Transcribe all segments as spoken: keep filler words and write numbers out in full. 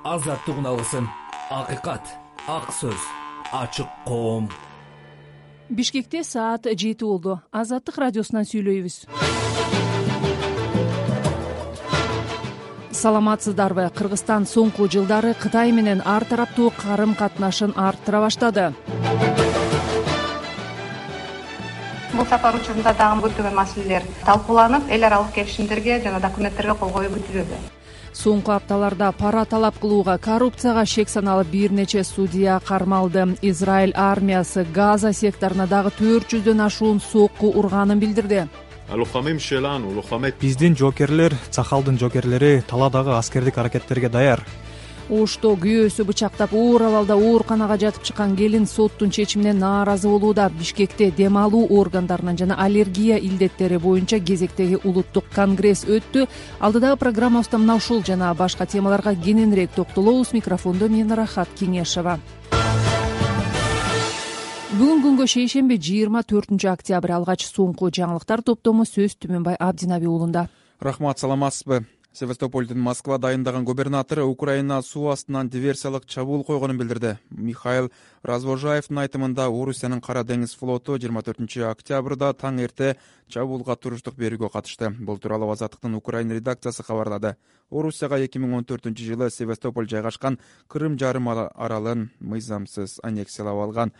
азаттык үналысын, акыйкат, ак сөз, ачык коом. Бишкекте саат жети болду. Азаттык радиосунан сүйлөйбүз. Саламатсыздарбы? Кыргызстан соңку жылдары Кытай менен ар тараптуу карым катнашын арттыра баштады. Бул сапар учурунда дагы көптөгөн маселелер талкууланып, эл аралык келишимдерге жана документтерге кол коюу күтүлүүдө. Соңку апталарда пара талап кылууга, коррупцияга шек саналып бир нече судья кармалды. Израиль армиясы Газа секторуна дагы төрт жүздөн ашуун сокку урганын билдирди. Биздин жокерлер, Цахалдын жокерлери талаадагы аскердик аракеттерге даяр. Ошто күйөөсү бычактап оор абалда ооруканага жатып чыккан келин соттун чечимине нааразы болууда. Бишкекте дем алуу органдарынын жана аллергия илдеттери боюнча кезектеги улуттук конгресс өттү. Алдыдагы программабызда мына ушул жана башка темаларга кененирээк токтолобуз. Микрофондо мен Рахат Кеңешова. Бүгүн күнгө шейшемби жыйырма төртүнчү октябрь алгач соңку жаңылыктар топтому сөз Түмөнбай Абдинаби уулунда. Рахмат, саламатсызбы? Севастополдун Москва дайындаган губернатору Украина суу астынан диверсиялык чабуул койгонун билдирди. Михаил Развожаевдин айтымында Орусиянын Кара деңиз флоту жыйырма төртүнчү октябрда таң эрте чабуулга туруштук берүүгө катышты. Бул тууралуу Азаттыктын Украина редакциясы кабарлады. Орусияга эки миң он төртүнчү жылы Севастополь жайгашкан Кырым жарым аралын мыйзамсыз аннексиялап алган.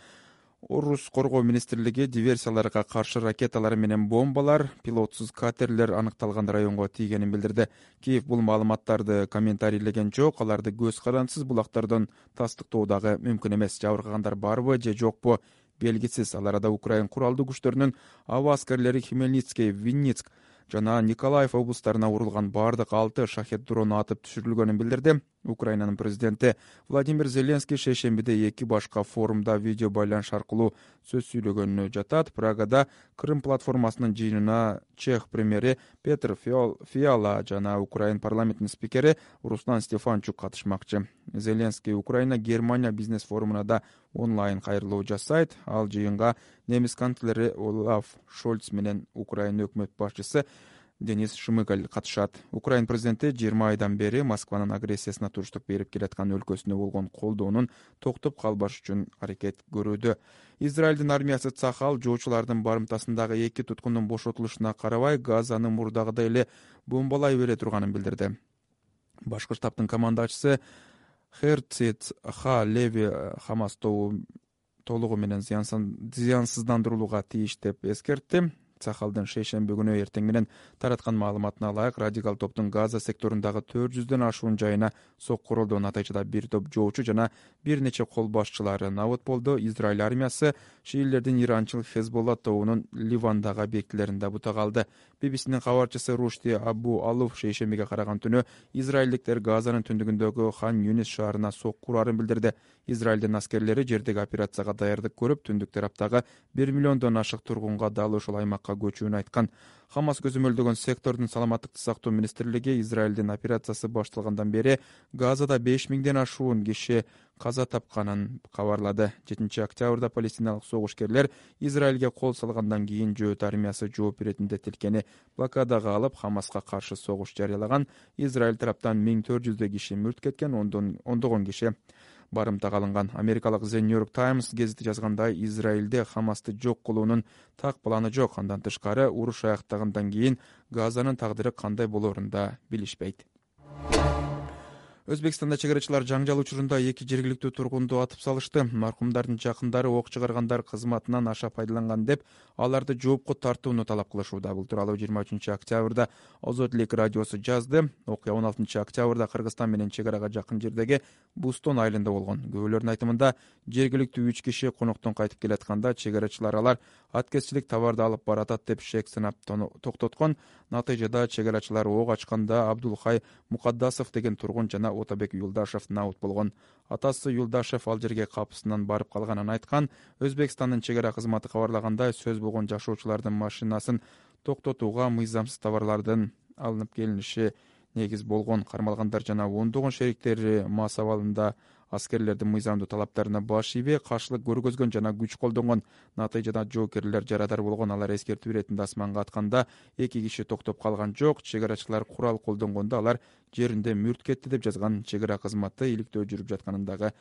Орус коргоо министрлиги диверсияларга каршы ракеталар менен бомбалар пилотсуз катерлер аныкталган районго тийгенин билдирди. Киев бул маалыматтарды комментарийлеген жок, аларды көз карандысыз булактардан тастыктоо дагы мүмкүн эмес. Жабыркагандар барбы же жокпу белгисиз. Ал арада Украин куралдуу күчтөрүнүн аба аскерлери Хмельницкий, Винницк жана Николаев облустарына урулган бардык алты шахет дрону атып түшүрүлгөнүн билдирди. Украинанын президенти Владимир Зеленский шейшембиде эки башка форумда видео байланыш аркылуу сөз сүйлөгөнү жатат. Прагада Крым платформасынын жыйынына Чех премьери Петр Фиала жана Украин парламентинин спикери Руслан Стефанчук катышмакчы. Зеленский Украина Германия бизнес форумуна да онлайн кайрылуу жасайт. Ал жыйынга немис канцлери Олаф Шольц менен Украина өкмөт башчысы Денис Шмыгаль катышат. Украин президенти жыйырма айдан бери Москванын агрессиясына туруштук берип келаткан өлкөсүнө болгон колдоонун токтоп калбаш үчүн аракет көрүүдө. Израилдин армиясы Цахал жоочулардын барымтасындагы эки туткундун бошотулушуна карабай Газаны мурдагыдай эле бомбалай бере турганын билдирди. Башкы штабтын командачысы Херцит Ха Леви Хамас тобу толугу менен зыянсыздандырылууга тийиш деп эскертти. Цахалдын шейшемби күнү эртең менен тараткан маалыматына ылайык, радикал топтун Газа секторундагы төрт жүздөн ашуун жайына сокку урулду. Натыйжада бир топ жоочу жана бир нече кол башчылары набыт болду. Израиль армиясы шиилердин иранчыл Хезболла тобунун Ливандагы объектилерин бутага алды. би би синин кабарчысы Рушти Абу Алуф шейшембиге караган түнү израилдиктер Газанын түндүгүндөгү Хан Юнис шаарына сокку урарын билдирди. Израилдин аскерлери жердеги операцияга даярдык көрүп, түндүк тараптагы бир миллиондон ашык тургунга дал ушул аймакка көчүүнү айткан. Хамас көзөмөлдөгөн сектордун саламаттыкты сактоо министрлиги Израилдин операциясы башталгандан бери Газада беш миңден ашуун киши каза тапканын кабарлады. жетинчи октябрда палестиналык согушкерлер Израилге кол салгандан кийин жөөт армиясы жооп беретин деп тилкени блокадага алып, Хамаска каршы согуш жарыялаган. Израиль тараптан миң төрт жүздөй киши мүрт кеткен, ондогон киши барымтага алынган. Америкалык The New York Times гезити жазгандай, Израилде Хамасты жок кылуунун так планы жок. Андан тышкары, уруш аяктагандан кийин Газанын тагдыры кандай болоорун да билишпейт. Өзбекстанда чыгарачылар жаңжал учурунда эки жергиликтүү тургунду атып салышты. Маркумдардын жакындары ок чыгаргандар кызматынан аша пайдаланган деп аларды жоопко тартууну талап кылышууда. Бул тууралуу жыйырма үчүнчү октябрда Озодлик радиосу жазды. Окуя он алтынчы октябрда Кыргызстан менен чегарага жакын жердеги Бустон айылында болгон. Күбөлөрдүн айтымында, жергиликтүү үч киши коноктон кайтып келатканда чегарачылар алар аткезчилик товарды алып баратат деп шек сынап токтоткон. Натыйжада чегарачылар ок ачканда Абдулхай Мукаддасов деген тургун жана Отабек Юлдашев набыт болгон. Атасы Юлдашев ал жерге капысынан барып калганын айткан. Өзбекстандын чегара кызматы кабарлагандай, сөз болгон жашоочулардын машинасын токтотууга мыйзамсыз товарлардын алынып келиниши негиз болгон. Кармалгандар жана ондогон шериктери мас абалында аскерлердин мыйзамдуу талаптарына баш ийбей каршылык көргөзгөн жана күч колдонгон. Натыйжада жоокерлер жарадар болгон. Алар эскертүү иретинде асманга атканда эки киши токтоп калган жок. Чек арачылар курал колдонгондо алар жеринде мүрт кетти деп жазган чек ара кызматы иликтөө жүрүп жатканындагы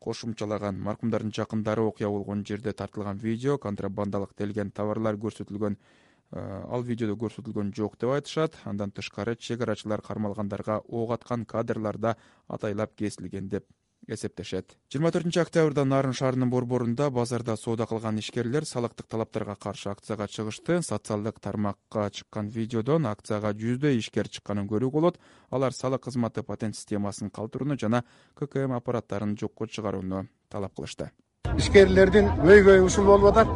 кошумчалаган. Маркумдардын жакындары окуя болгон жерде тартылган видео, контрабандалык делген товарлар көрсөтүлгөн, ал видеодо көрсөтүлгөн жок деп айтышат. Андан тышкары чек арачылар кармалгандарга ок аткан кадрларда атайлап кесилген деп эсептешет. жыйырма төртүнчү октябрда Нарын шаарынын борборунда базарда соода кылган ишкерлер салыктык талаптарга каршы акцияга чыгышты. Социалдык тармакка чыккан видеодон акцияга жүздөй ишкер чыкканын көрүүгө болот. Алар салык кызматы патент системасын калтырууну жана ка ка эм аппараттарын жокко чыгарууну талап кылышты. Ишкерлердин өйгөй ушул болуп атат.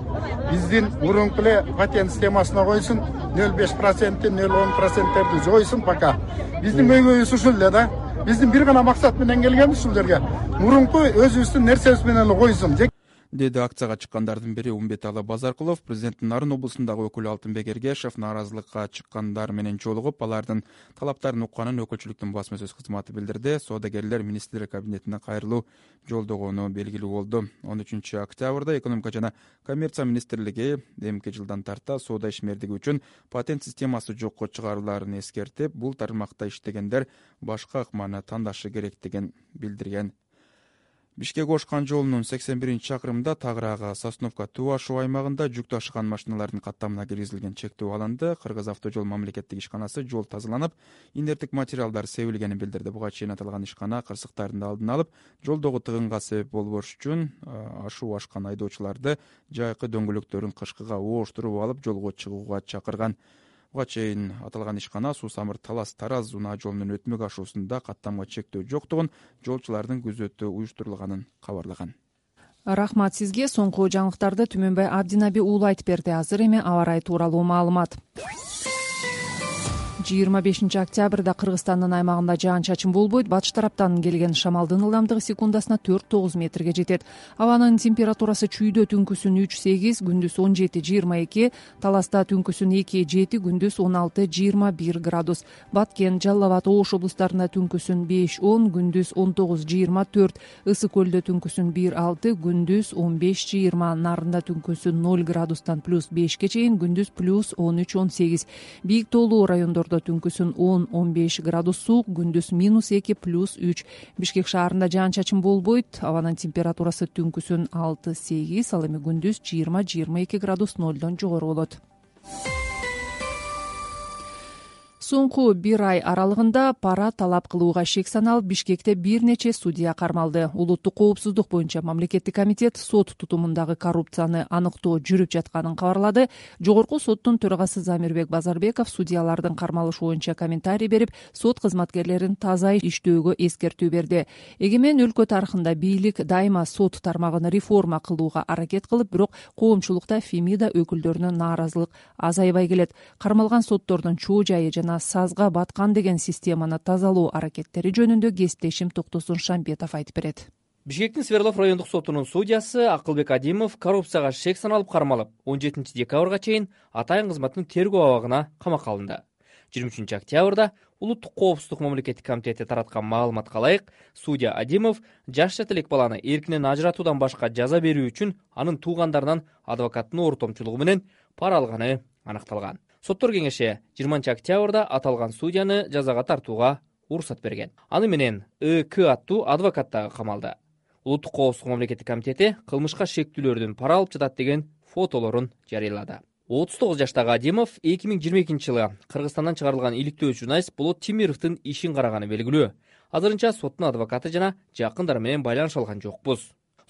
Биздин мурунку эле патент системасына койсун, нөл беш процент, нөл он проценттерди жойсун пока. Биздин өйгөйүбүз ушул эле да. Биздин бир гана максат менен келгенбиз ушул жерге. Мурунку өзүбүздүн нерсебиз менен эле койсун деди акцияга чыккандардын бири Умбеталы Базаркулов. Президенттин Нарын облусундагы өкүлү Алтынбек Эргешев нааразылыкка чыккандар менен жолугуп, алардын талаптарын укканын өкүлчүлүктүн басма сөз кызматы билдирди. Соодагерлер министрлер кабинетине кайрылуу жолдогону белгилүү болду. он үчүнчү октябрда экономика жана коммерция министрлиги эмки жылдан тарта соода ишмердиги үчүн патент системасы жокко чыгарылаарын эскертип, бул тармакта иштегендер башка ыкманы тандашы керектигин билдирген. Бишкек-Ош-Кан жолунун сексен биринчи чакырымында Тагыраагы Сосновка-Туу-Ашуу аймагында жүк ташыган машиналардын каттамына киргизилген чектөө алынды. Кыргыз автожол мамлекеттик ишканасы жол тазаланып, инерттик материалдар себилгенин билдирди. Буга чейин аталган ишкана кырсыктардын алдын алып, жолдогу тыгынга себеп болбош үчүн ашуу ашкан айдоочуларды жайкы дөңгөлөктөрүн кышкыга ооштуруп алып жолго чыгууга чакырган. Буга чейин аталган ишкана Суу Самыр Талас Тараз унаа жолунун өтмөк ашуусунда каттамга чектөө жоктугун, жолчулардын күзөтү уюштурулганын кабарлаган. Рахмат сизге. Соңку жаңылыктарды Түмөнбай Абдинаби уулу айтып берди. Азыр эми аба ырайы тууралуу маалымат. жыйырма бешинчи октябрда Кыргызстандын аймагында жаан-чачын болбойт. Батыш тараптан келген шамалдын ылдамдыгы секундасына төрт тогуз метрге жетет. Абанын температурасы чүйдө түнкүсүн үч сегиз, күндүз он жети жыйырма эки, Таласта түнкүсүн эки жети, күндүз он алты жыйырма бир градус. Баткен, Жалал Абад, Ош облустарында түнкүсүн беш он, күндүз он тогуз жыйырма төрт, Ысык көлдө түнкүсүн бир алты, күндүз он беш жыйырма, Нарында түнкүсүн ноль градустан плюс бешке чейин, күндүз плюс он үч он сегиз. Бийик тоолуу райондордо түнкүсүн он он беш градус суук, күндүз минус эки плюс үч. Бишкек шаарында жаан-чачын болбойт. Абанын температурасы түнкүсүн алты сегиз, ал эми күндүз жыйырма жыйырма эки градус нолдон жогору болот. Соңку бир ай аралыгында пара талап кылууга шек саналып, Бишкекте бир нече судья кармалды. Улуттук коопсуздук боюнча мамлекеттик комитет сот тутумундагы коррупцияны аныктоо жүрүп жатканын кабарлады. Жогорку соттун төрагасы Замирбек Базарбеков судьялардын кармалышы боюнча комментарий берип, сот кызматкерлерин таза иштөөгө эскертүү берди. Эгемен өлкө тарыхында бийлик дайыма сот тармагын реформа кылууга аракет кылып, бирок коомчулукта Фемида өкүлдөрүнүн нааразылык азайбай келет. Кармалган соттордун чоо жайы жана сазга баткан деген системаны тазалоо аракеттери жөнүндө кесиптешим Токтосун Шамбетов айтып берет. Бишкектин Свердлов райондук сотунун судьясы Акылбек Адимов коррупцияга шек саналып кармалып, он жетинчи декабрга чейин атайын кызматтын тергөө абагына камакка алынды. жыйырма үчүнчү октябрда Улуттук коопсуздук мамлекеттик комитети тараткан маалыматка ылайык, судья Адимов жаш жетелек баланы эркинен ажыратуудан башка жаза берүү үчүн анын туугандарынан адвокаттын ортомчулугу менен пара алганы аныкталган. Соттор кеңеши жыйырманчы октябрда аталган судьяны жазага тартууга уруксат берген. Аны менен ИК аттуу адвокат дагы камалды. Улуттук коопсуздук мамлекеттик комитети кылмышка шектүүлөрдүн пара алып жатат деген фотолорун жарыялады. отуз тогуз жаштагы Адимов эки миң жыйырма экинчи жылы Кыргызстандан чыгарылган иликтөө журналист Болот Тимировдун ишин караганы белгилүү. Азырынча соттун адвокаты жана жакындары менен байланыша алган жокпуз.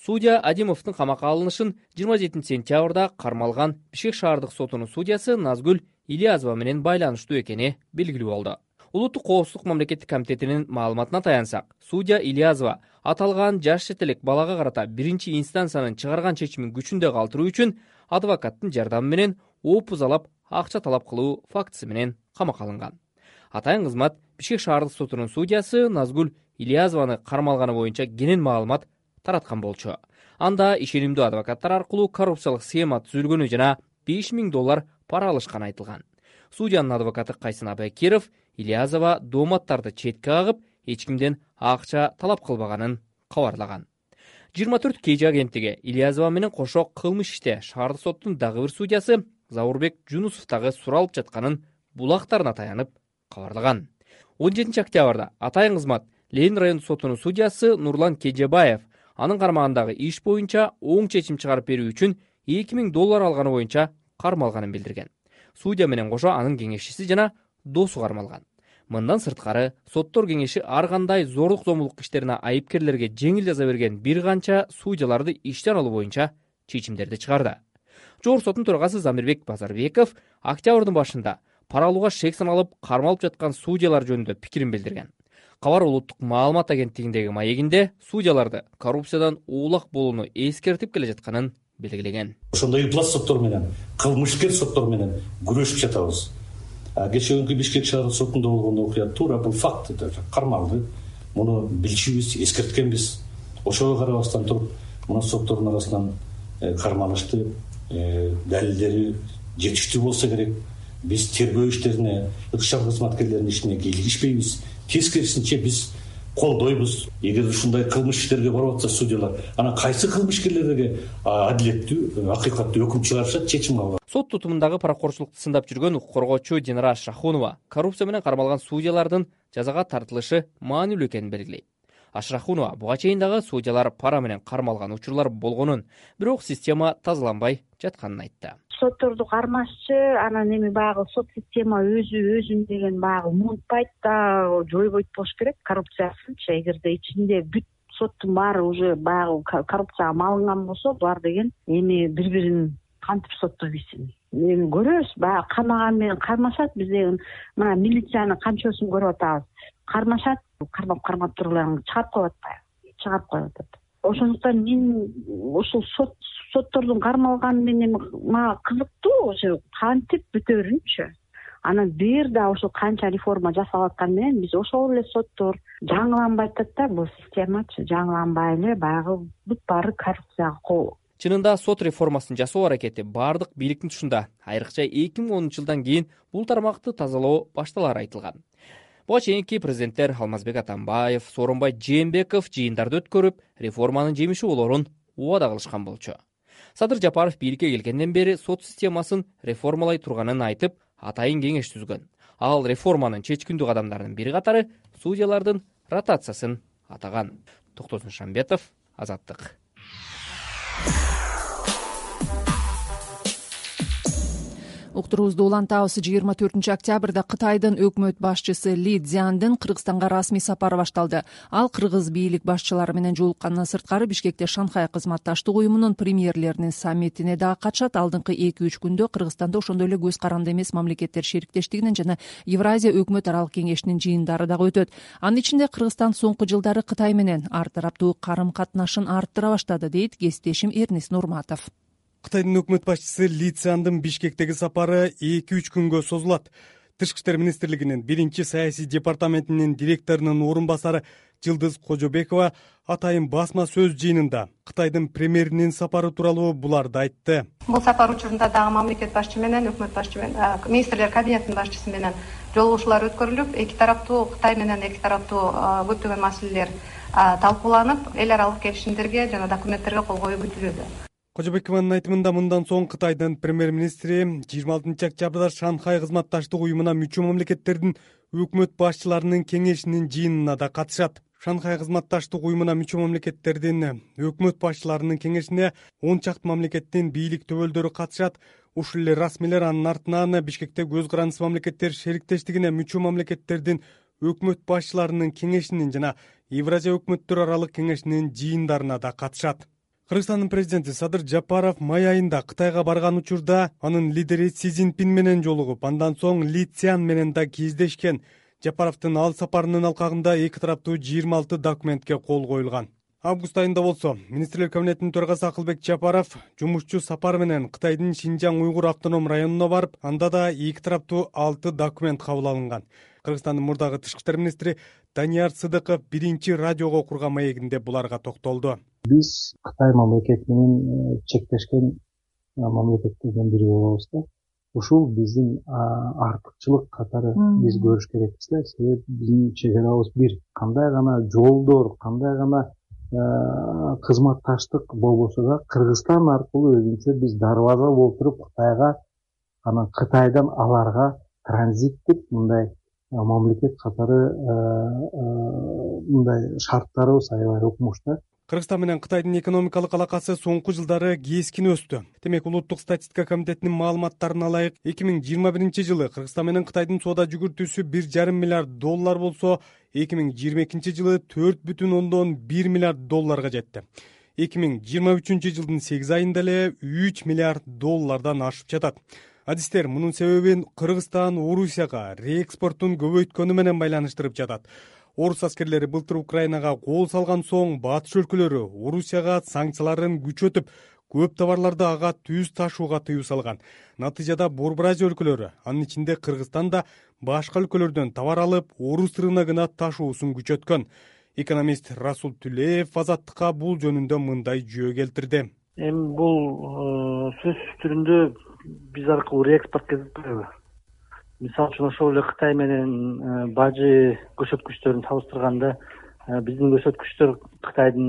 Судья Адимовдун камакка алынышын жыйырма жетинчи сентябрда кармалган Бишкек шаардык сотунун судьясы Назгүл Ильязова менен байланыштуу экени белгилүү болду. Улуттук коопсуздук мамлекеттик комитетинин маалыматына таянсак, судья Ильязова аталган жаш жетелек балага карата биринчи инстанциянын чыгарган чечимин күчүндө калтыруу үчүн адвокаттын жардамы менен опузалап акча талап кылуу фактысы менен камакка алынган. Атайын кызмат Бишкек шаардык сотунун судьясы Назгүл Ильязованы кармалганы боюнча кенен маалымат тараткан болчу. Анда ишенимдүү адвокаттар аркылуу коррупциялык схема түзүлгөнү жана беш миң доллар пара алышканы айтылган. Судьянын адвокаты Кайсын Абайкиров Ильязова дооматтарды четке кагып, эч кимден акча талап кылбаганын кабарлаган. жыйырма төрт кей агенттиги Ильязова менен кошо кылмыш иште шаардык соттун дагы бир судьясы Заурбек Жунусов дагы суралып жатканын булактарына таянып кабарлаган. он жетинчи октябрда Атайын кызмат Ленин райондук сотунун судьясы Нурлан Кежебаев анын кармагындагы иш боюнча оң чечим чыгарып берүү үчүн эки миң доллар алганы боюнча кармалганын билдирген. Судья менен кошо анын кеңешчиси жана досу кармалган. Мындан сырткары соттор кеңеши ар кандай зордук зомбулук иштерине айыпкерлерге жеңил жаза берген бир канча судьяларды иштен алуу боюнча чечимдерди чыгарды. Жогорку соттун төрагасы Замирбек Базарбеков октябрдын башында пара алууга шек саналып кармалып жаткан судьялар жөнүндө пикирин билдирген. Кабар улуттук маалымат агенттигиндеги маегинде судьяларды коррупциядан уулак болууну эскертип келе жатканын белгилеген. Ошондой ыплас соттор менен, кылмышкер соттор менен күрөшүп жатабыз. Кечээ күнкү Бишкек шаардык сотунда болгон окуя туура бул факт кармалды. Муну билчүбүз, эскерткенбиз. Ошого карабастан туруп, мына соттордун арасынан кармалышты, далилдери жетиштүү болсо керек. Биз тергөө иштерине, ыкчам кызматкерлердин ишине кийлигишпейбиз. Тескерисинче биз колдойбуз. Эгер ушундай кылмыш иштерге барып атса судьялар, анан кайсы кылмышкерлерге адилеттүү, акыйкаттуу өкүм чыгарышат, чечим алат. Сот тутумундагы паракорчулукту сындап жүргөн укук коргоочу Динара Ашрахунова коррупция менен кармалган судьялардын жазага тартылышы маанилүү экенин белгилейт. Ашрахунова буга чейин дагы судьялар пара менен кармалган учурлар болгонун, бирок система тазаланбай жатканын айтты. Сотторду кармашчы, анан эми баягы сот система өзү өзүн деген баягы умунтпайт да, жойбойт болуш керек коррупциясынчы. Эгерде ичинде бүт соттун баары уже баягы коррупцияга малынган болсо, булар деген эми бири-бирин кантип соттой билсин. Эми көрөбүз, баягы кармаган менен кармашат, биз деген мына милициянын канчоосун көрүп атабыз. Кармашат, кармап кармап туруп эле чыгарып коюп атпайбы? Чыгарып коюп атат. Ошондуктан мен ушул сот соттордун кармалганы менен мага кызыктуу, ошо кантип бүтөрүнчү. Анан бир да ошо канча реформа жасалып атканы менен биз ошол эле соттор жаңыланбай атат да, бул системачы жаңыланбай эле баягы бүт баары коррупцияга кол. Чынында сот реформасын жасоо аракети бардык бийликтин тушунда. Айрыкча эки миң онунчу жылдан кийин бул тармакты тазалоо башталары айтылган. Буга чейинки президенттер Алмазбек Атамбаев, Сооронбай Жээнбеков жыйындарды өткөрүп, реформанын жемиши болорун убада кылышкан болчу. Садыр Жапаров бийликке келгенден бери сот системасын реформалай турганын айтып, атайын кеңеш түзгөн. Ал реформанын чечкиндүү кадамдарынын бири катары судьялардын ротациясын атаган. Токтосун Шамбетов, Азаттык. Уктуруубузду улантабыз. жыйырма төртүнчү октябрда Кытайдын өкмөт башчысы Ли Цзяндын Кыргызстанга расмий сапары башталды. Ал кыргыз бийлик башчылары менен жолуккандан сырткары Бишкекте Шанхай кызматташтык уюмунун премьерлеринин саммитине дагы катышат. Алдыңкы эки үч күндө Кыргызстанда ошондой эле көз каранды эмес мамлекеттер шериктештигинин жана Евразия өкмөт аралык кеңешинин жыйындары дагы өтөт. Анын ичинде Кыргызстан соңку жылдары Кытай менен ар тараптуу карым катнашын арттыра баштады, дейт кесиптешим Эрнис Нурматов. Кытайдын өкмөт башчысы Ли Цзяндын Бишкектеги сапары эки үч күнгө созулат. Тышкы иштер министрлигинин биринчи саясий департаментинин директорунун орун басары Жылдыз Кожобекова атайын басма сөз жыйынында Кытайдын премьеринин сапары тууралуу буларды айтты. Бул сапар учурунда дагы мамлекет башчы менен, өкмөт башчы менен, министрлер кабинетинин башчысы менен жолугушуулар өткөрүлүп, эки тараптуу Кытай менен эки тараптуу көптөгөн маселелер талкууланып, эл аралык келишимдерге жана документтерге кол коюу күтүлүүдө. Кожобекованын айтымында мындан соң Кытайдын премьер-министри жыйырма алтынчы октябрда Шанхай кызматташтык уюмуна мүчө мамлекеттердин өкмөт башчыларынын кеңешинин жыйынына да катышат. Шанхай кызматташтык уюмуна мүчө мамлекеттердин өкмөт башчыларынын кеңешине он чакты мамлекеттин бийлик төбөлдөрү катышат. Ушул эле расмийлер анын артынан Бишкекте көз карандысыз мамлекеттер шериктештигине мүчө мамлекеттердин өкмөт башчыларынын кеңешинин жана Евразия өкмөттөр аралык кеңешинин жыйындарына да катышат. Кыргызстандын президенти Садыр Жапаров май айында Кытайга барган учурда анын лидери Си Цзиньпин менен жолугуп, андан соң Ли Цзян менен да кездешкен. Жапаровдун ал сапарынын алкагында эки тараптуу жыйырма алты документке кол коюлган. Август айында болсо, министрлер кабинетинин төрагасы Акылбек Жапаров жумушчу сапар менен Кытайдын Шинжаң уйгур автоном районуна барып, анда да эки тараптуу алты документ кабыл алынган. Кыргызстандын мурдагы тышкы иштер министри Данияр Сыдыков биринчи радиого курган маегинде буларга токтолду. Биз Кытай мамлекети менен чектешкен мамлекеттерден бири болобуз да. Ушул биздин артыкчылык катары биз көрүш керекпиз да. Себеби биздин чек арабыз бир. Кандай гана жолдор, кандай гана кызматташтык болбосо да Кыргызстан аркылуу өзүнчө биз дарбаза болуп туруп Кытайга, анан Кытайдан аларга транзиттик мындай мамлекет катары мындай шарттарыбыз аябай укмуш да. Кыргызстан менен Кытайдын экономикалык алакасы соңку жылдары кескин өстү. Демек, Улуттук статистика комитетинин маалыматтарына ылайык эки миң жыйырма биринчи жылы Кыргызстан менен Кытайдын соода жүгүртүүсү бир жарым миллиард доллар болсо, эки миң жыйырма экинчи жылы төрт бүтүн ондон бир миллиард долларга жетти. эки миң жыйырма үчүнчү жылдын сегиз айында эле үч миллиард доллардан ашып жатат. Адистер мунун себебин Кыргызстан Орусияга реэкспортун көбөйткөнү менен байланыштырып жатат. Орус аскерлери былтыр Украинага кол салган соң батыш өлкөлөрү Орусияга санкцияларын күчөтүп, көп товарларды ага түз ташууга тыюу салган. Натыйжада Борбор Азия өлкөлөрү, анын ичинде Кыргызстан да башка өлкөлөрдөн товар алып, орус рыногуна ташуусун күчөткөн. Экономист Расул Түлеев Азаттыкка бул жөнүндө мындай жүйө келтирди. Эми бул сөз түрүндө биз аркылуу реэкспорт кезип, мисалы үчүн ошол эле Кытай менен бажы көрсөткүчтөрүн салыштырганда биздин көрсөткүчтөр Кытайдын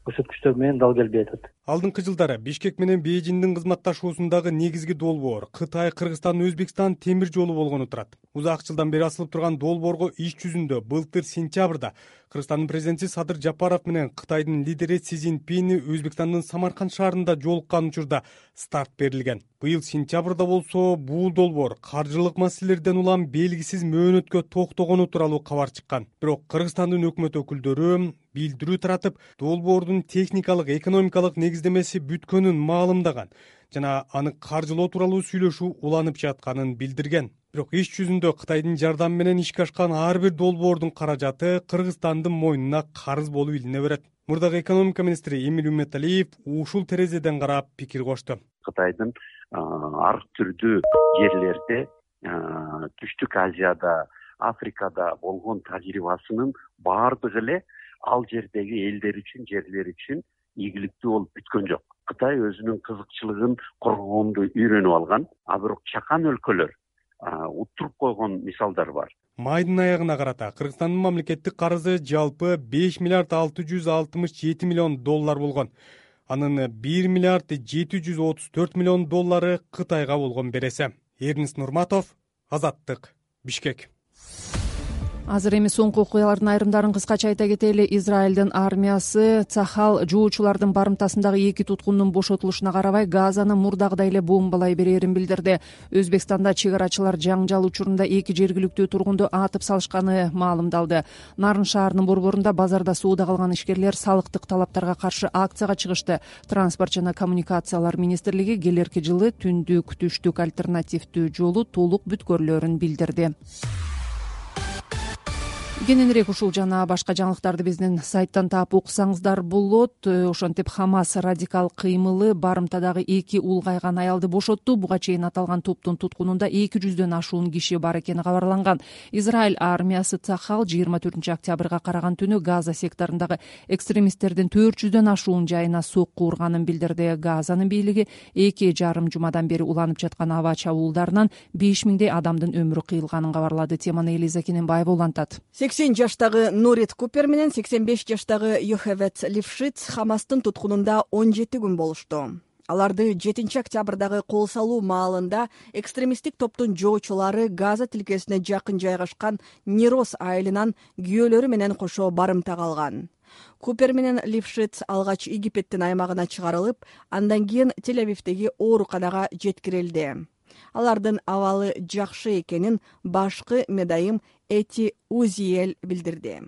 көрсөткүчтөрү менен дал келбей атат. Алдыңкы жылдары Бишкек менен Бейжиңдин кызматташуусундагы негизги долбоор Кытай, Кыргызстан, Өзбекстан темир жолу болгону турат. Узак жылдан бери асылып турган долбоорго иш жүзүндө былтыр сентябрда Кыргызстандын президенти Садыр Жапаров менен Кытайдын лидери Си Цзиньпин Өзбекстандын Самарканд шаарында жолуккан учурда старт берилген. Быйыл сентябрда болсо бул долбоор каржылык маселелерден улам белгисиз мөөнөткө токтогону тууралуу кабар чыккан. Бирок Кыргызстандын өкмөт өкүлдөрү билдирүү таратып, долбоордун техникалык, экономикалык негиздемеси бүткөнүн маалымдаган жана аны каржылоо тууралуу сүйлөшүү уланып жатканын билдирген. Бирок иш жүзүндө Кытайдын жардамы менен ишке ашкан ар бир долбоордун каражаты Кыргызстандын мойнуна карыз болуп илине берет. Мурдагы экономика министри Эмиль Умметалиев ушул терезеден карап пикир кошту. Кытайдын ар түрдүү жерлерде, Түштүк Азияда, Африкада болгон тажрыйбасынын баардыгы эле ал жердеги элдер үчүн, жерлер үчүн ийгиликтүү болуп бүткөн жок. Кытай өзүнүн кызыкчылыгын коргоонду үйрөнүп алган, а бирок чакан өлкөлөр уттуруп койгон мисалдар бар. Майдын аягына карата Кыргызстандын мамлекеттик карызы жалпы беш миллиард алты жүз алтымыш жети миллион доллар болгон. Анын бир миллиард жети жүз отуз төрт миллион доллары Кытайга болгон береси. Эрнис Нурматов, Азаттык, Бишкек. Азыр эми соңку окуялардын айрымдарын кыскача айта кетели. Израилдин армиясы Цахал жоочулардын барымтасындагы эки туткундун бошотулушуна карабай Газаны мурдагыдай эле бомбалай берерин билдирди. Өзбекстанда чек-арачылар жаңжал учурунда эки жергиликтүү тургунду атып салышканы маалымдалды. Нарын шаарынын борборунда базарда сууда калган ишкерлер салыктык талаптарга каршы акцияга чыгышты. Транспорт жана коммуникациялар министрлиги келерки жылы түндүк түштүк альтернативдүү жолу толук бүткөрүлөрүн билдирди. Кененирээк ушул жана башка жаңылыктарды биздин сайттан таап окусаңыздар болот. Ошентип Хамас радикал кыймылы барымтадагы эки улгайган аялды бошотту. Буга чейин аталган топтун туткунунда эки жүздөн ашуун киши бар экени кабарланган. Израиль армиясы Цахал жыйырма төртүнчү октябрга караган түнү Газа секторундагы экстремисттердин төрт жүздөн ашуун жайына сокку урганын билдирди. Газанын бийлиги эки жарым жумадан бери уланып жаткан аба чабуулдарынан беш миңдей адамдын өмүрү кыйылганын кабарлады. Теманы Элиза Кененбаева улантат. сексен жаштагы Норит Купер менен сексен беш жаштагы Йохевет Лившиц Хамастын туткунунда он жети күн болушту. Аларды жетинчи октябрдагы кол салуу маалында экстремисттик топтун жоочулары Газа тилкесине жакын жайгашкан Нирос айылынан күйөөлөрү менен кошо барымтага алган. Купер менен Лившиц алгач Египеттин аймагына чыгарылып, андан кийин Тель-Авивдеги ооруканага жеткирилди. Алардын абалы жакшы экенин башкы медайым Эти Узиел билдирди.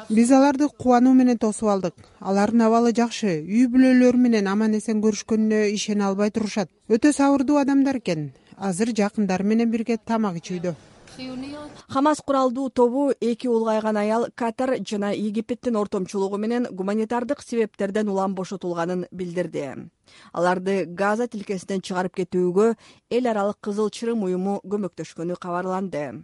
Биз аларды кубануу менен тосуп алдык. Алардын абалы жакшы, үй бүлөлөрү менен аман эсен көрүшкөнүнө ишене албай турушат. Өтө сабырдуу адамдар экен. Азыр жакындары менен бирге тамак ичүүдө. Хамас куралдуу тобу эки улгайган аял Катар жана Египеттин ортомчулугу менен гуманитардык себептерден улам бошотулганын билдирди. Аларды Газа тилкесинен чыгарып кетүүгө эл аралык Кызыл Чырым уюму көмөктөшкөнү кабарланды.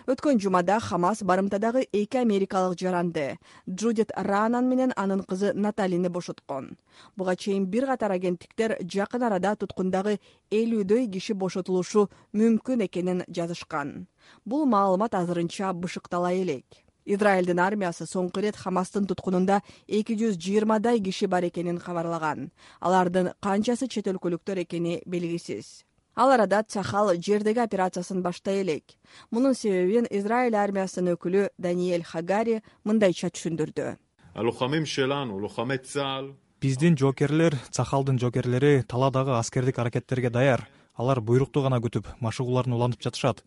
Өткөн жумада Хамас барымтадагы эки америкалык жаранды Джудит Ранан менен анын кызы Наталини бошоткон. Буга чейин бир катар агенттиктер жакын арада туткундагы элүүдөй киши бошотулушу мүмкүн экенин жазышкан. Бул маалымат азырынча бышыктала элек. Израилдин армиясы соңку ирет Хамастын туткунунда эки жүз жыйырмадай киши бар экенин кабарлаган. Алардын канчасы чет өлкөлүктөр экени белгисиз. Ал арада Цахал жердеги операциясын баштай элек. Мунун себебин Израиль армиясынын өкүлү Даниэль Хагари мындайча түшүндүрдү. Биздин жоокерлер, Цахалдын жоокерлери таладагы аскердик аракеттерге даяр. Алар буйрукту гана күтүп, машыгууларын улантып жатышат.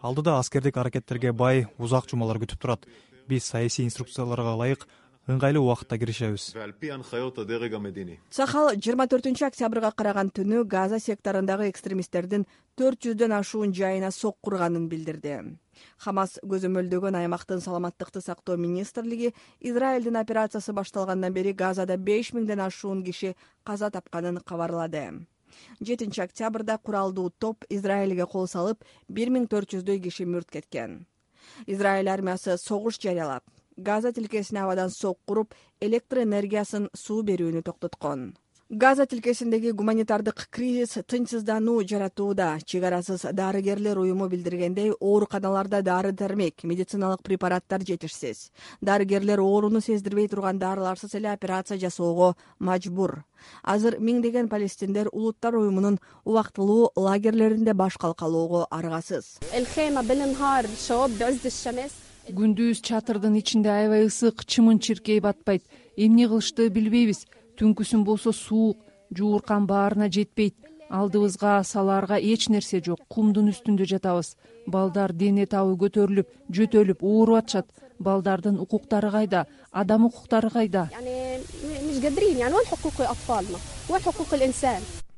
Алдыда аскердик аракеттерге бай узак жумалар күтүп турат. Биз саясий инструкцияларга ылайык ыңгайлуу убакытта киришебиз. Цахал жыйырма төртүнчү октябрга караган түнү Газа секторундагы экстремисттердин төрт жүздөн ашуун жайына сок курганын билдирди. Хамас көзөмөлдөгөн аймактын саламаттыкты сактоо министрлиги Израилдин операциясы башталгандан бери Газада беш миңден ашуун киши каза тапканын кабарлады. жетинчи октябрда куралдуу топ Израилге кол салып, бир миң төрт жүздөй киши мүрт кеткен. Израиль армиясы согуш жарыялап, Газа тилкесине абадан сок куруп, электр энергиясын, суу берүүнү токтоткон. Газа тилкесиндеги гуманитардык кризис тынчсыздануу жаратууда. Чек арасыз дарыгерлер уюму билдиргендей, ооруканаларда дары-дармек, медициналык препараттар жетишсиз. Дарыгерлер ооруну сездирбей турган дарыларсыз эле операция жасоого мажбур. Азыр миңдеген палестиндер Улуттар уюмунун убактылуу лагерлеринде баш калкалоого аргасыз. Күндүз чатырдын ичинде аябай ысык, чымын чиркей батпайт. Эмне кылышты билбейбиз. Түнкүсүн болсо суук, жууркан баарына жетпейт. Алдыбызга салаарга эч нерсе жок. Кумдун үстүндө жатабыз. Балдар дене табы көтөрүлүп, жөтөлүп ооруп атышат. Балдардын укуктары кайда? Адам укуктары кайда?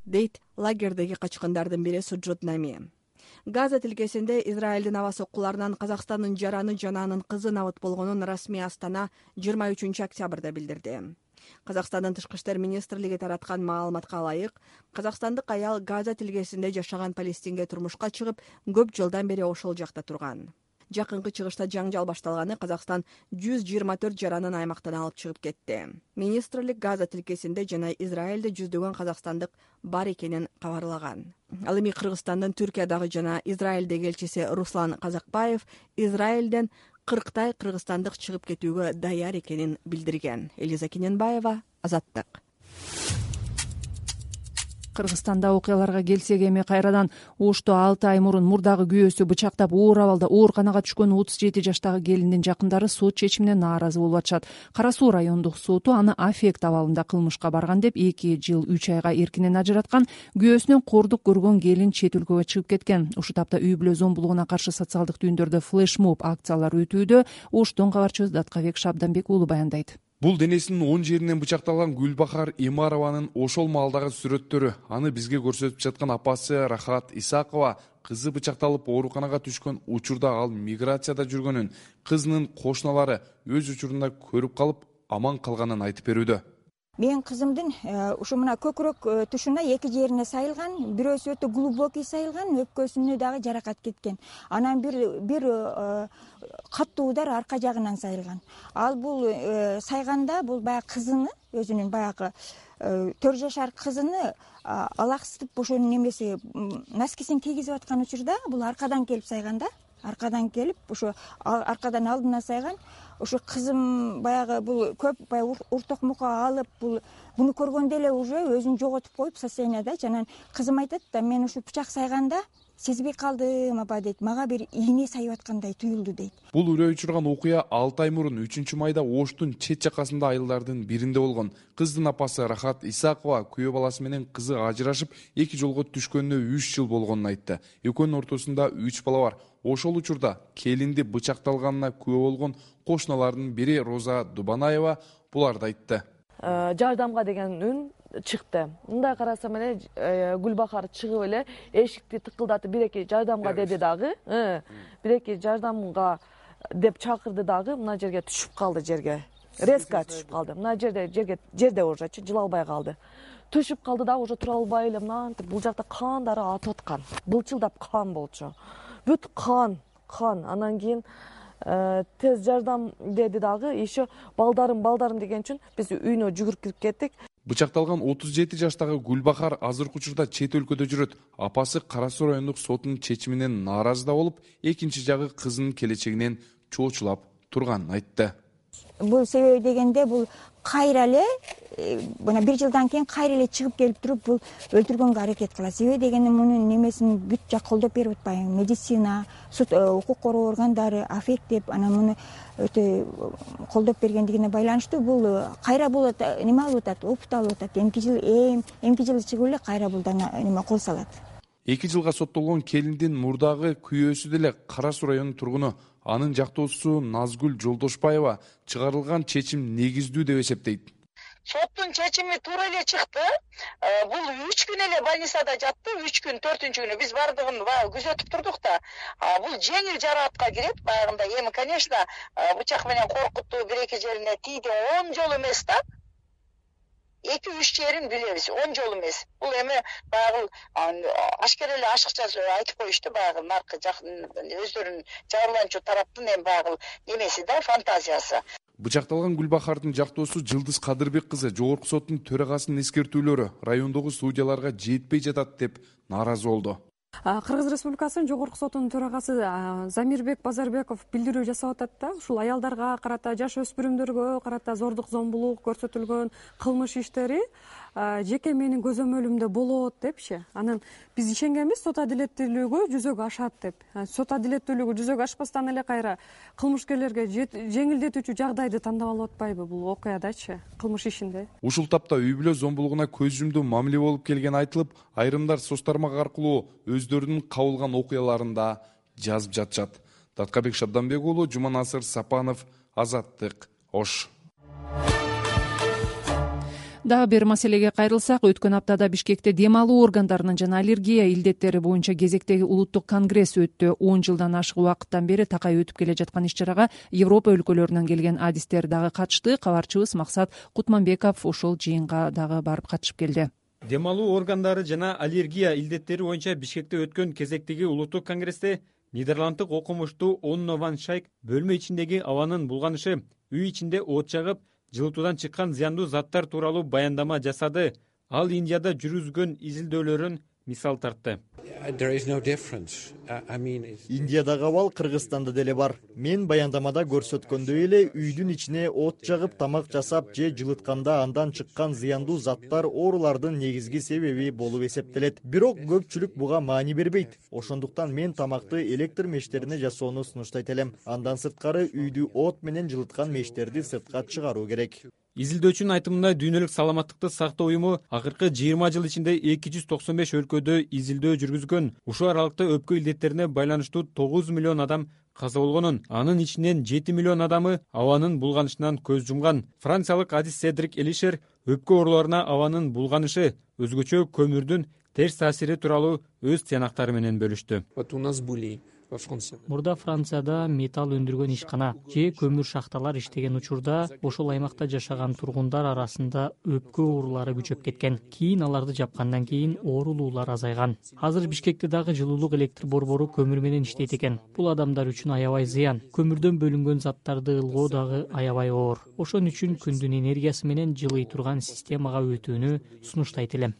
Дейт лагердеги качкындардын бири Суджуд Нами. Газа тилкесинде Израилдин аба соккуларынан Казакстандын жараны жананын кызы набыт болгонун расмий Астана жыйырма үчүнчү октябрда билдирди. Казакстандын тышкы иштер министрлиги тараткан маалыматка ылайык, казакстандык аял Газа тилкесинде жашаган палестинге турмушка чыгып, көп жылдан бери ошол жакта турган. Жакынкы чыгышта жаңжал башталганы Казакстан жүз жыйырма төрт жаранын аймактан алып чыгып кетти. Министрлик Газа тилкесинде жана Израилде жүздөгөн казакстандык бар экенин кабарлаган. Ал эми Кыргызстандын Түркиядагы жана Израилдеги элчиси Руслан Казакбаев Израилден кырктай кыргызстандык чыгып кетүүгө даяр экенин билдирген. Элиза Кененбаева, Азаттык. Кыргызстанда окуяларга келсек, эми кайрадан Ошто алты ай мурун мурдагы күйөөсү бычактап оор абалда ооруканага түшкөн отуз жети жаштагы келиндин жакындары сот чечимине нааразы болуп атышат. Кара Суу райондук соту аны аффект абалында кылмышка барган деп эки жыл үч айга эркинен ажыраткан. Күйөөсүнөн кордук көргөн келин чет өлкөгө чыгып кеткен. Ушул тапта үй бүлө зомбулугуна каршы социалдык түйүндөрдө флешмоб акциялар өтүүдө. Оштон кабарчыбыз Даткабек Шабданбек уулу баяндайт. Бул денесинин оң жеринен бычакталган Гүлбахар Имарованын ошол маалдагы сүрөттөрү. Аны бизге көрсөтүп жаткан апасы Рахат Исакова кызы бычакталып ооруканага түшкөн учурда ал миграцияда жүргөнүн, кызынын кошуналары өз учурунда көрүп калып аман калганын айтып берүүдө. Менин кызымдын ушу мына көкүрөк тушуна эки жерине сайылган, бирөөсү өтө глубокий сайылган, өпкөсүнө дагы жаракат кеткен. Анан бир бир каттуу удар арка жагынан сайылган. Ал бул сайганда бул баягы кызыны, өзүнүн баягы төрт жашар кызыны алаксытып ошонун немеси носкисин кийгизип аткан учурда бул аркадан келип сайган да. Аркадан келип, ошо аркадан алдына сайган. Ошо кызым баягы бул көп баягы уртокмукка алып, бул буну көргөндө эле уже өзүн жоготуп коюп состоянияда. Жана кызым айтат да, мен ушу пычак сайганда сезбей калдым апа дейт. Мага бир ийне сайып аткандай туюлду дейт. Бул үрөй учурган окуя алты ай мурун үчүнчү майда Оштун чет жакасында айылдардын биринде болгон. Кыздын апасы Рахат Исакова күйөө баласы менен кызы ажырашып, эки жолго түшкөнүнө үч жыл болгонун айтты. Экөөнүн ортосунда үч бала бар. Ошол учурда келинди бычакталганына күбө болгон кошуналардын бири Роза Дубанаева буларды айтты. Жардамга деген үн чыкты. Мындай карасам эле Гүлбахар чыгып эле эшикти тыкылдатып бирээки жардамга деди дагы. Бирээки жардамга деп чакырды дагы, мына жерге түшүп калды жерге. Резко түшүп калды. Мына жерде жерге жерде уже жыла албай калды. Түшүп калды да уже тура албай эле мынантип бул жакта кандары атып аткан. Былчылдап кан болчу. Бүт кан, кан. Анан кийин тез жардам деди дагы, еще балдарым, балдарым деген үчүн биз үйүнө жүгүрүп кирип кеттик. Бычакталган отуз жети жаштагы Гүлбахар азыркы учурда чет өлкөдө жүрөт. Апасы Кара Суу райондук сотунун чечиминен нааразы да болуп, экинчи жагы кызынын келечегинен чоочулап турганын айтты. Бул себеби дегенде бул кайра эле мына бир жылдан кийин кайра эле чыгып келип туруп бул өлтүргөнгө аракет кылат. Себеби дегенде мунун немесин бүт жак колдоп берип атпайбы. Медицина, суд, укук коргоо органдары, аффект деп анан муну өтө колдоп бергендигине байланыштуу бул кайра бул неме алып атат, опыт алып атат. Эмки жыл эм, эмки жыл чыгып эле кайра бул неме кол салат. эки жылга соттолгон келиндин мурдагы күйөөсү деле Кара Суу районунун тургуну. Анын жактоосу Назгүл Жолдошбаева чыгарылган чечим негиздүү деп эсептейт. Соттун чечими туура эле чыкты. Бул үч күн эле больницада жатты. үч күн, төртүнчү күнү биз бардыгын күзөтүп турдук да. Бул жеңил жараатка кирет. Баягында эми, конечно, бычак менен коркуттуу бир-эки жерине тийди. он жол эмес да. эки үч жерин билебиз, он жол эмес. Бул эми баягы ашкер эле ашыкча айтып коюшту, баягы наркы өздөрүнүн жабырланчу тараптын эми баягы немеси да, фантазиясы. Бычакталган Гүлбахардын жактоосу Жылдыз Кадырбек кызы жогорку соттун төрагасынын эскертүүлөрү райондогу судьяларга жетпей жатат деп нааразы болду. Кыргыз Республикасынын жогорку сотунун төрагасы Замирбек Базарбеков билдирүү жасап атат да, ушул аялдарга карата, жаш өспүрүмдөргө карата зордук зомбулук көрсөтүлгөн кылмыш иштери жеке менин көзөмөлүмдө болот депчи. Анан биз ишенгенбиз сот адилеттүүлүгү жүзөгө ашат деп. Сот адилеттүүлүгү жүзөгө ашпастан эле кайра кылмышкерлерге жеңилдетүүчү жагдайды тандап алып атпайбы бул окуядачы, кылмыш ишинде. Ушул тапта үй бүлө зомбулугуна көз жумдуу мамиле болуп келгени айтылып, айрымдар соц тармак аркылуу өздөрүнүн кабылган окуяларында жазып жатышат. Таткабек Шабданбек уулу, Жуманасыр Сапанов, Азаттык, Ош. Дагы бир маселеге кайрылсак, өткөн аптада Бишкекте дем алуу органдарынын жана аллергия илдеттери боюнча кезектеги улуттук конгресс өттү. он жылдан ашык убакыттан бери такай өтүп келе жаткан иш-чарага Европа өлкөлөрүнөн келген адистер дагы катышты. Кабарчыбыз Максат Кутманбеков ошол жыйынга дагы барып катышып келди. Дем алуу органдары жана аллергия илдеттери боюнча Бишкекте өткөн кезектеги улуттук конгрессте Нидерланддык окумуштуу Онно Ван Шайк бөлмө ичиндеги абанын булганышы, үй ичинде от жагып, жылытуудан чыккан зыяндуу заттар тууралуу баяндама жасады. Ал Индияда жүргүзгөн изилдөөлөрүн мисал тартты. Индиядагы абал Кыргызстанда деле бар. Мен баяндамада көрсөткөндөй эле үйдүн ичине от жагып, тамак жасап же жылытканда андан чыккан зыяндуу заттар оорулардын негизги себеби болуп эсептелет. Бирок көпчүлүк буга маани бербейт. Ошондуктан мен тамакты электр мештерине жасоону сунуштайт элем. Андан сырткары үйдү от менен жылыткан мештерди сыртка чыгаруу керек. Изилдөөчүнүн айтымында дүйнөлүк саламаттыкты сактоо уюму акыркы жыйырма жыл ичинде эки жүз токсон беш өлкөдө изилдөө жүргүзгөн. Ушул аралыкта өпкө илдеттерине байланыштуу тогуз миллион адам каза болгонун, анын ичинен жети миллион адамы абанын булганышынан көз жумган. Франциялык адис Седрик Элишер өпкө ооруларына абанын булганышы, өзгөчө көмүрдүн терс таасири тууралуу өз тыянактары менен бөлүштү. Мурда Францияда металл өндүргөн ишкана же көмүр шахталар иштеген учурда ошол аймакта жашаган тургундар арасында өпкө оорулары күчөп кеткен. Кийин аларды жапкандан кийин оорулуулар азайган. Азыр Бишкекте дагы жылуулук электр борбору көмүр менен иштейт экен. Бул адамдар үчүн аябай зыян. Көмүрдөн бөлүнгөн заттарды ылгоо дагы аябай оор. Ошон үчүн күндүн энергиясы менен жылый турган системага өтүүнү сунуштайт элем.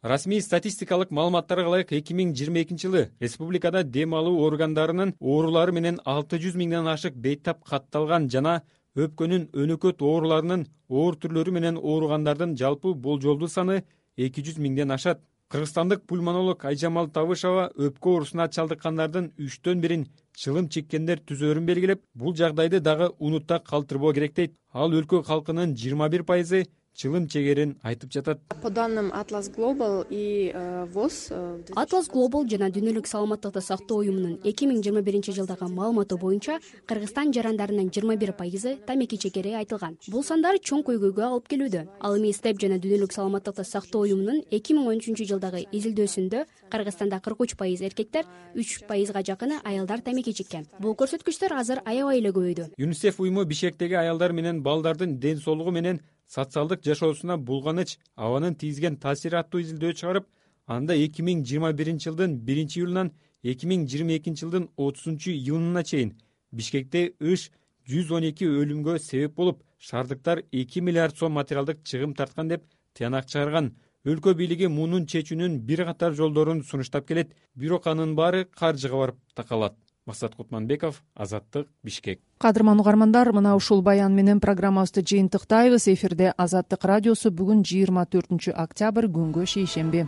Расмий статистикалык маалыматтарга ылайык эки миң жыйырма экинчи жылы республикада дем алуу органдарынын оорулары менен алты жүз миңден ашык бейтап катталган жана өпкөнүн өнөкөт ооруларынын оор түрлөрү менен ооругандардын жалпы болжолдуу саны эки жүз миңден ашат. Кыргызстандык пульмонолог Айжамал Табышева өпкө оорусуна чалдыккандардын үчтөн бирин чылым чеккендер түзөөрүн белгилеп, бул жагдайды дагы унутта калтырбоо керек дейт. Ал өлкө калкынын жыйырма бир пайызы чылым чегерин айтып жатат. По данным Atlas Global и ВОЗ, Atlas Global жана Дүйнөлүк саламаттыкты сактоо уюмунун эки миң жыйырма биринчи жылдагы маалыматы боюнча Кыргызстан жарандарынын жыйырма бир пайызы тамеки чекери айтылган. Бул сандар чоң көйгөйгө алып келүүдө. Ал эми Степ жана Дүйнөлүк саламаттыкты сактоо уюмунун эки миң он үчүнчү жылдагы изилдөөсүндө Кыргызстанда кырк үч пайыз эркектер, үч пайызга жакыны аялдар тамеки чеккен. Бул көрсөткүчтөр азыр аябай эле көбөйдү. ЮНИСЕФ уюму Бишкектеги аялдар менен балдардын ден соолугу менен социалдык жашоосуна булганыч, абанын тийгизген таасири аттуу изилдөө чыгарып, анда эки миң жыйырма биринчи жылдын биринчи июлунан эки миң жыйырма экинчи жылдын отузунчу июнуна чейин Бишкекте ыш жүз он эки өлүмгө себеп болуп, шаардыктар эки миллиард сом материалдык чыгым тарткан деп тыянак чыгарган. Өлкө бийлиги мунун чечүүнүн бир катар жолдорун сунуштап келет, бирок анын баары каржыга барып такалат. Максат Кутманбеков, Азаттык, Бишкек. Кадырман угармандар, мына ушул баян менен программабызды жыйынтыктайбыз. Эфирде Азаттык радиосу. Бүгүн жыйырма төртүнчү октябрь, күнгө шейшемби.